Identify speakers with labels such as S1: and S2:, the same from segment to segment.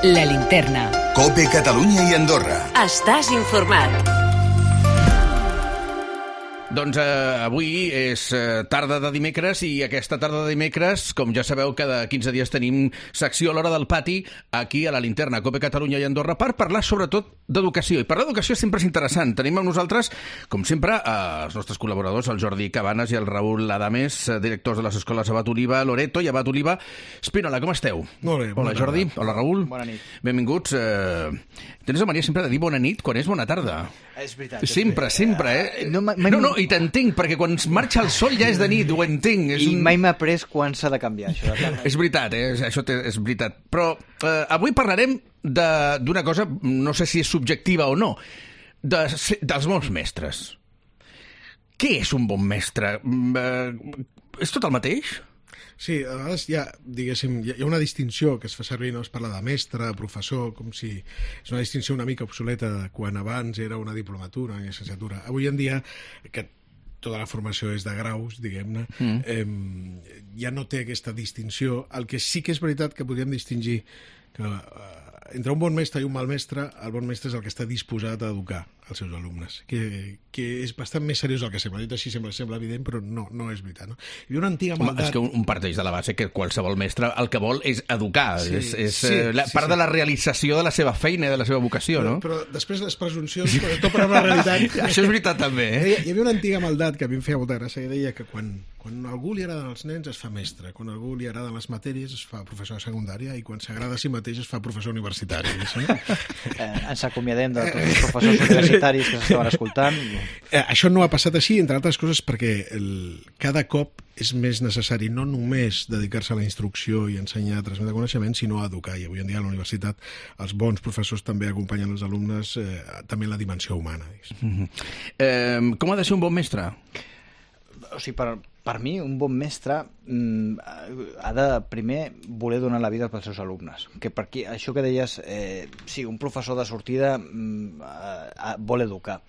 S1: La Linterna.
S2: COPE Catalunya i Andorra.
S1: Estàs informat.
S3: Doncs avui és tarda de dimecres i aquesta tarda de dimecres, com ja sabeu, cada 15 dies tenim secció a l'hora del pati aquí a la Linterna, COPE Catalunya i Andorra, per parlar sobretot d'educació. I parlar d'educació sempre és interessant. Tenim amb nosaltres, com sempre, els nostres col·laboradors, el Jordi Cabanes i el Raül Adames, directors de les escoles Abat Oliva, Loreto i Abat Oliva. Espínola, com esteu?
S4: Molt bé.
S3: Hola, Jordi. Hola, Raül.
S5: Bona nit.
S3: Benvinguts. Tens la mania sempre de dir bona nit quan és bona tarda.
S5: És veritat.
S3: Sempre, No, i t'entenc, perquè quan marxa el sol ja és de nit, ho entenc.
S5: I mai m'ha après quan s'ha de canviar, això.
S3: És veritat, això és veritat. Però avui parlarem d'una cosa, no sé si és subjectiva o no, dels bons mestres. Què és un bon mestre? És tot el mateix?
S4: Sí, a vegades hi ha una distinció que es fa servir, no? Es parla de mestre, professor, com si és una distinció una mica obsoleta de quan abans era una diplomatura, una llicenciatura. Avui en dia, que tota la formació és de graus, diguem-ne, ja no té aquesta distinció. El que sí que és veritat que podríem distingir que entre un bon mestre i un mal mestre, el bon mestre és el que està disposat a educar els seus alumnes, que és bastant més seriós del que sembla. Dit així sembla evident, però no és veritat. No? Hi havia una antiga maldat...
S3: És que un parteix de la base que qualsevol mestre el que vol és educar, és part de la realització de la seva feina i de la seva vocació, no?
S4: Però després les presuncions, quan topen amb la realitat...
S3: Això és veritat, també.
S4: Hi havia una antiga maldat que a mi em feia molta gràcia, que deia que quan a algú li agraden els nens es fa mestre, quan a algú li agraden les matèries es fa professor de secundària i quan s'agrada a si mateix es fa professor universitari.
S5: Ens acomiadem de tots els professors universitaris que s'estaven escoltant.
S4: Això no ha passat així, entre altres coses, perquè cada cop és més necessari no només dedicar-se a la instrucció i ensenyar a transmetre coneixement, sinó a educar. I avui en dia a la universitat els bons professors també acompanyen els alumnes també en la dimensió humana.
S3: Com ha de ser un bon mestre?
S5: O sigui, per mi, un bon mestre ha de primer voler donar la vida pels seus alumnes. Que per aquí, això que deies, sí, un professor de sortida vol educar,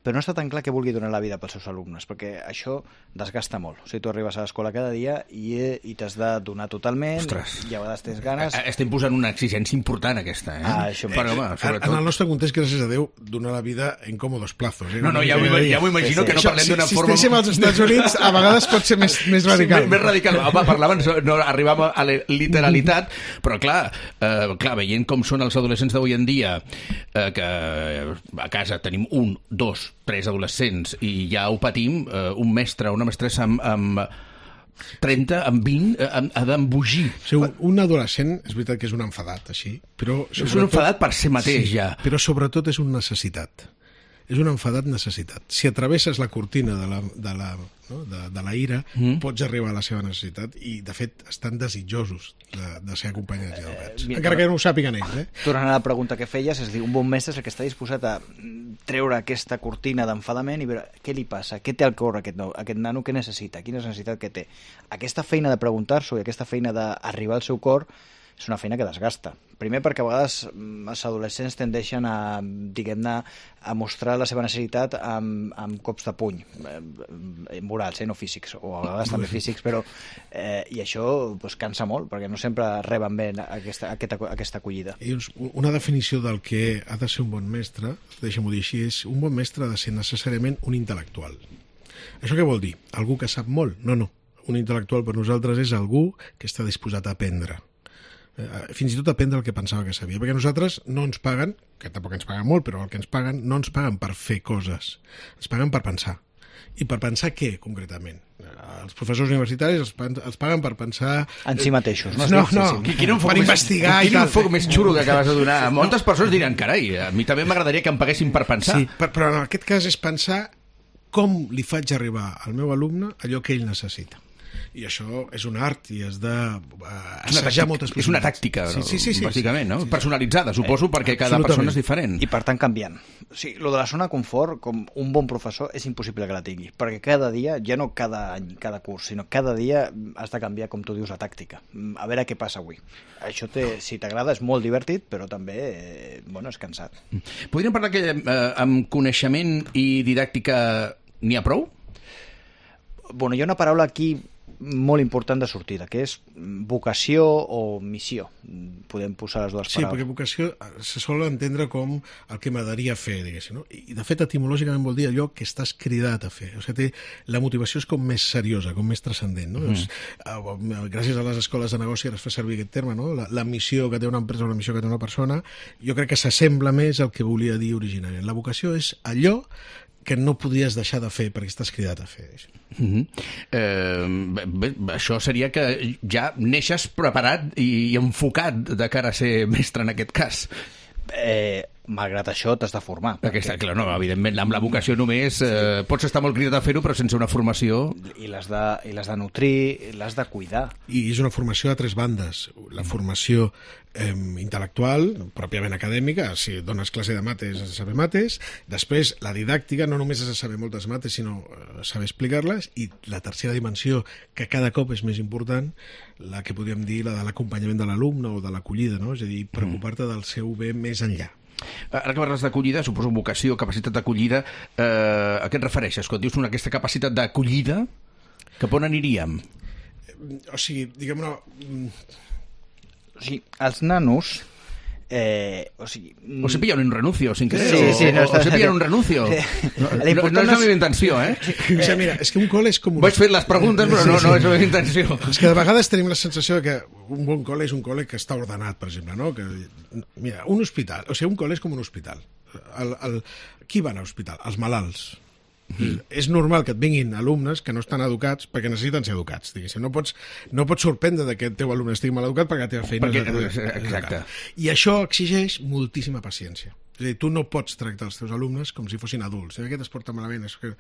S5: però no està tan clar que vulgui donar la vida pels seus alumnes, perquè això desgasta molt. O sigui, tu arribes a l'escola cada dia i t'has de donar totalment.
S3: Ostres.
S5: I a vegades tens ganes...
S3: Estem posant una exigència important, aquesta,
S5: això
S3: però, home, sobretot...
S4: En el nostre context, gràcies a Déu, donar la vida en còmodos plazos.
S3: No, ja m'ho imagino que no parlem d'una forma...
S4: Si estéssim als Estats Units, a vegades pot ser més radical.
S3: Sí, més radical. Home, parlaven, no arribàvem a la literalitat, però clar, veient com són els adolescents d'avui en dia, que a casa tenim 1, 2, 3 adolescents i ja ho patim, un mestre, una mestressa amb 30, amb 20, ha d'embogir.
S4: Un adolescent, és veritat que és un enfadat, així, però...
S3: És un enfadat per si mateix, ja.
S4: Però sobretot és una necessitat. És un enfadat necessitat. Si atravesses la cortina de la ira, pots arribar a la seva necessitat i, de fet, estan desitjosos de ser acompanyats i educats. Encara que no ho sàpiguen ells.
S5: Tornant a la pregunta que feies, és dir, un bon mestre és el que està disposat a treure aquesta cortina d'enfadament i veure què li passa, què té al cor aquest nano, què necessita, quina és la necessitat que té. Aquesta feina de preguntar-s'ho i aquesta feina d'arribar al seu cor és una feina que desgasta. Primer perquè a vegades els adolescents tendeixen a, diguem-ne, a mostrar la seva necessitat amb cops de puny, morals, no físics, o a vegades també físics, però i això cansa molt, perquè no sempre reben bé aquesta acollida.
S4: I una definició del que ha de ser un bon mestre, deixa'm-ho dir així, és un bon mestre ha de ser necessàriament un intel·lectual. Això què vol dir? Algú que sap molt? No. Un intel·lectual per nosaltres és algú que està disposat a aprendre. Fins i tot aprendre el que pensava que sabia, perquè nosaltres no ens paguen, que tampoc ens paguen molt, però el que ens paguen no ens paguen per fer coses, ens paguen per pensar. I per pensar què, concretament? Els professors universitaris els paguen per pensar...
S5: En si mateixos, no?
S4: Per investigar i tal.
S3: Quin enfoc més xulo que acabes de donar. Moltes persones diran, carai, a mi també m'agradaria que em paguessin per pensar.
S4: Sí, però en aquest cas és pensar com li faig arribar al meu alumne allò que ell necessita. I això és un art i has d'assajar moltes
S3: possibilitats. És una tàctica, bàsicament, no? Personalitzada, suposo, perquè cada persona és diferent.
S5: I per tant canviant. O sigui, lo de la zona de confort, com un bon professor, és impossible que la tingui, perquè cada dia, ja no cada any, cada curs, sinó cada dia has de canviar, com tu dius, la tàctica. A veure què passa avui. Això, si t'agrada, és molt divertit, però també, és cansat.
S3: Podríem parlar que amb coneixement i didàctica n'hi ha prou?
S5: Hi ha una paraula aquí molt important de sortida, que és vocació o missió. Podem posar les dues
S4: Sí,
S5: paraules.
S4: perquè vocació se sol entendre com el que m'agradaria fer, diguéssim, no? I de fet etimològicament vol dir allò que estàs cridat a fer. O sigui, la motivació és com més seriosa, com més transcendent, no? Doncs, gràcies a les escoles de negoci ara es fa servir aquest terme, no? La missió que té una empresa o la missió que té una persona, jo crec que s'assembla més al que volia dir originàriament. La vocació és allò que no podries deixar de fer perquè estàs cridat a fer.
S3: Bé, això seria que ja neixes preparat i enfocat de cara a ser mestre en aquest cas.
S5: Malgrat això t'has de formar.
S3: Perquè està clar, no, evidentment, amb la vocació només pots estar molt cridat a fer-ho, però sense una formació...
S5: I l'has de nutrir, l'has de cuidar.
S4: I és una formació a tres bandes. La formació intel·lectual, pròpiament acadèmica, si dones classe de mates has de saber mates, després la didàctica, no només has de saber moltes mates, sinó saber explicar-les, i la tercera dimensió, que cada cop és més important, la que podríem dir la de l'acompanyament de l'alumne o de l'acollida, no? És a dir, preocupar-te del seu bé més enllà.
S3: Ara que parles d'acollida, suposo vocació, capacitat d'acollida, a què et refereixes? Quan dius aquesta capacitat d'acollida, cap on aniríem?
S4: O sigui, diguem-ne...
S5: O sigui, els nanos...
S3: O se pillan un renuncio, sin querer,
S5: Sí, no,
S3: o se pillan un renuncio. No és la meva intenció, eh?
S4: O sigui, mira, és que un col·le és com...
S3: Vaig fer les preguntes, però no és la meva intenció.
S4: És que de vegades tenim la sensació que un bon col·le és un col·le que està ordenat, per exemple, no? Que, mira, un hospital, o sigui, un col·le és com un hospital. Qui va anar a l'hospital? Els malalts. És normal que et vinguin alumnes que no estan educats perquè necessiten ser educats, diguéssim. No pots sorprendre que el teu alumne estigui mal educat perquè la teva feina és...
S3: Exacte.
S4: I això exigeix moltíssima paciència. És a dir, tu no pots tractar els teus alumnes com si fossin adults. Aquest es porta malament. És que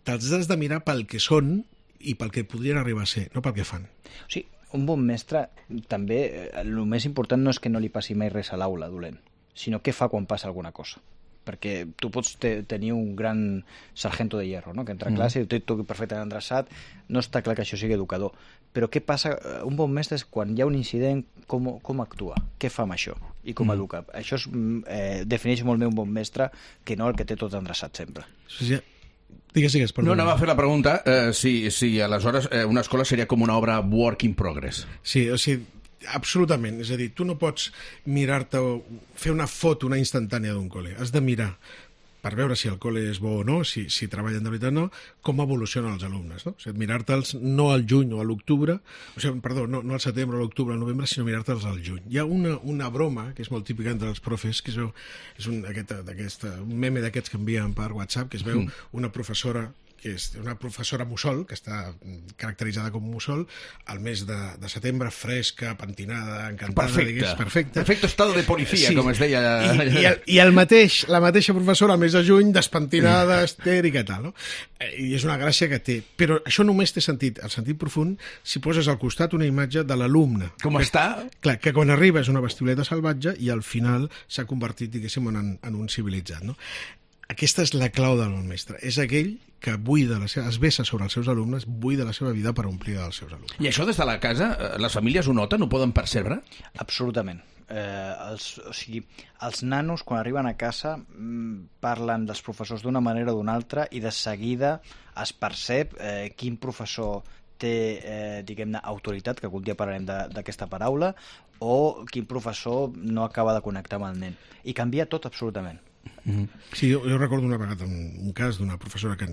S4: te'ls has de mirar pel que són i pel que podrien arribar a ser, no pel que fan.
S5: O sigui, un bon mestre també, el més important no és que no li passi mai res a l'aula dolent, sinó què fa quan passa alguna cosa. Perquè tu pots tenir un gran sargento de hierro, no? Que entra a classe i tot perfectament endreçat, no està clar que això sigui educador. Però què passa? Un bon mestre és quan hi ha un incident, com actua? Què fa amb això? I com educa? Això defineix molt bé un bon mestre que no el que té tot endreçat sempre.
S4: Digues, perdó.
S3: No, anava a fer la pregunta si aleshores una escola seria com una obra work in progress.
S4: Sí, o sigui, absolutament. És a dir, tu no pots mirar-te o fer una foto, una instantània d'un col·le. Has de mirar, per veure si el col·le és bo o no, si treballen de veritat o no, com evolucionen els alumnes, no? O sigui, mirar-te'ls no al juny o a l'octubre, o sigui, perdó, no al setembre, a l'octubre, al novembre, sinó mirar-te'ls al juny. Hi ha una broma que és molt típica entre els profes, que és un meme d'aquests que envien per WhatsApp, que es veu una professora que és una professora mussol, que està caracteritzada com mussol, al mes de setembre, fresca, pentinada, encantada, digués, perfecta.
S3: Perfecte estado de policia, sí. Com es deia.
S4: I la mateixa professora al mes de juny, despentinada, estèrica, tal, no? I és una gràcia que té. Però això només té sentit, el sentit profund, si poses al costat una imatge de l'alumne.
S3: Com està?
S4: Clar, que quan arriba és una bestioleta salvatge i al final s'ha convertit, diguéssim, en un civilitzat, no? Aquesta és la clau del bon mestre. És aquell que es vessa sobre els seus alumnes, buida la seva vida per omplir dels seus alumnes.
S3: I això des de la casa, les famílies ho noten, ho poden percebre?
S5: Absolutament. Els nanos, quan arriben a casa, parlen dels professors d'una manera o d'una altra i de seguida es percep quin professor té, diguem-ne, autoritat, que algun dia parlarem d'aquesta paraula, o quin professor no acaba de connectar amb el nen. I canvia tot absolutament.
S4: Sí, jo recordo una vegada un cas d'una professora que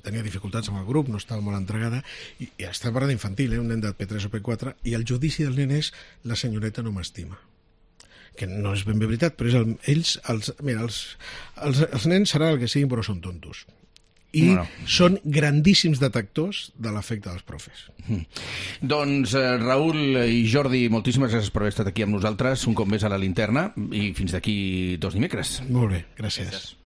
S4: tenia dificultats amb el grup, no estava molt entregada, i estava parlant d'infantil, un nen de P3 o P4, i el judici del nen és la senyoreta no m'estima. Que no és ben bé veritat, però és els nens seran el que siguin, però són tontos. I són grandíssims detectors de l'efecte dels profes.
S3: Doncs Raül i Jordi, moltíssimes gràcies per haver estat aquí amb nosaltres un cop més a la Linterna i fins d'aquí 2 dimecres.
S4: Molt bé, gràcies.